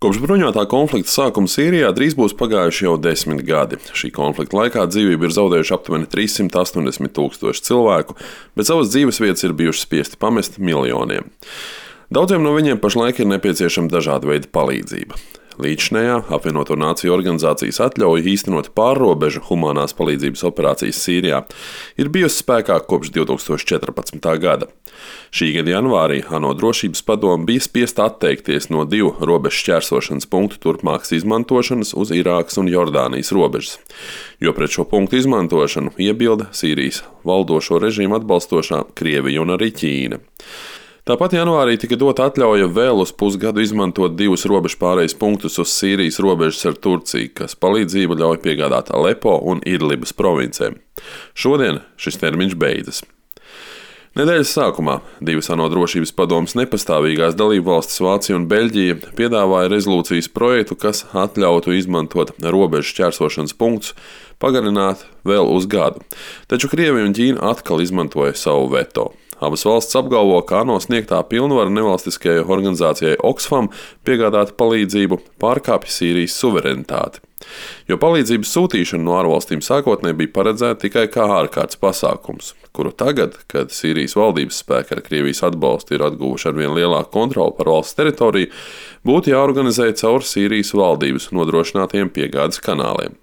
Kopš bruņotā konflikta sākuma Sīrijā drīz būs pagājuši jau 10 gadi. Šī konflikta laikā dzīvību ir zaudējuši aptuveni 380 000 cilvēku, bet savas dzīvesvietas ir bijuši spiesti pamest miljoniem. Daudziem no viņiem pašlaik ir nepieciešama dažāda veida palīdzība. Līdzinējā apvienoto nāciju organizācijas atļauja īstenot pārrobežu humanās palīdzības operācijas Sīrijā ir bijusi spēkā kopš 2014. gada. Šī gada janvārī ANO drošības padome bija spiesta atteikties no 2 robežu šķērsošanas punktu turpmākas izmantošanas uz Irākas un Jordānijas robežas, jo pret šo punktu izmantošanu iebilda Sīrijas valdošo režīmu atbalstošā Krievija un arī Ķīna. Tāpat janvārī tika dota atļauja vēl uz pusgadu izmantot 2 robežu pārejas punktus uz Sīrijas robežas ar Turciju, kas palīdzību ļauj piegādāt Alepo un Idlibas provincēm. Šodien šis termiņš beidzas. Nedēļas sākumā 2 ANO drošības padomes nepastāvīgās dalībvalstis Vācija un Beļģija piedāvāja rezolūcijas projektu, kas atļautu izmantot robežu šķērsošanas punktus pagarināt vēl uz gadu. Taču Krievija un Ķīna atkal izmantoja savu veto. Abas valsts apgalvo, ka ANO sniegtā pilnvara nevalstiskajai organizācijai Oxfam piegādāt palīdzību pārkāpj Sīrijas suverenitāti, jo palīdzības sūtīšana no ārvalstīm sākotnēji bija paredzēta tikai kā ārkārtas pasākums, kuru tagad, kad Sīrijas valdības spēki ar Krievijas atbalstu ir atguvuši arvien lielāku kontroli par valsts teritoriju, būtu jāorganizē caur Sīrijas valdības nodrošinātiem piegādes kanāliem.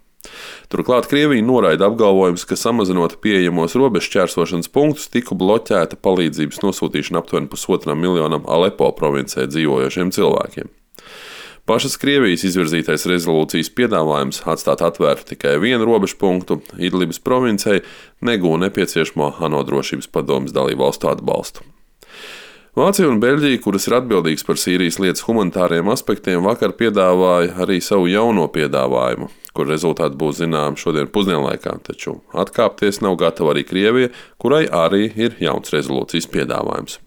Turklāt Krievija noraida apgalvojumus, ka samazinot pieejamos robežu šķērsošanas punktus, tiku bloķēta palīdzības nosūtīšana aptuveni 1,5 miljonam Alepo provincē dzīvojošiem cilvēkiem. Pašas Krievijas izvirzītais rezolūcijas piedāvājums atstāt atvērtu tikai 1 robežu punktu Idlibas provincei negūja nepieciešamo ANO drošības padomes dalībvalstu atbalstu. Vācija un Beļģija, kuras ir atbildīgas par Sīrijas lietas humanitāriem aspektiem, vakar piedāvāja arī savu jauno piedāvājumu, kur rezultāti būs zināmi šodien pusdienlaikā, taču atkāpties nav gatava arī Krievija, kurai arī ir jauns rezolūcijas piedāvājums.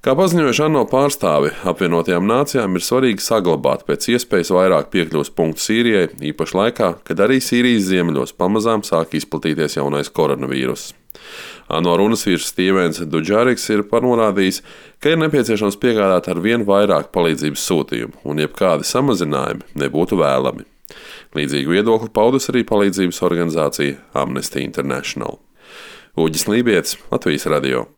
Kā paziņojuši ANO pārstāvi, apvienotajām nācijām ir svarīgi saglabāt pēc iespējas vairāk piekļuves punktu Sīrijai, īpaši laikā, kad arī Sīrijas ziemeļos pamazām sāk izplatīties jaunais koronavīruss. ANO runas vīrs Stīvens Duģariks ir norādījis, ka ir nepieciešams piegādāt ar vien vairāk palīdzības sūtījumu, un jebkādi samazinājumi nebūtu vēlami. Līdzīgu viedokli paudus arī palīdzības organizācija Amnesty International. Uģis Lībietis, Latvijas radio.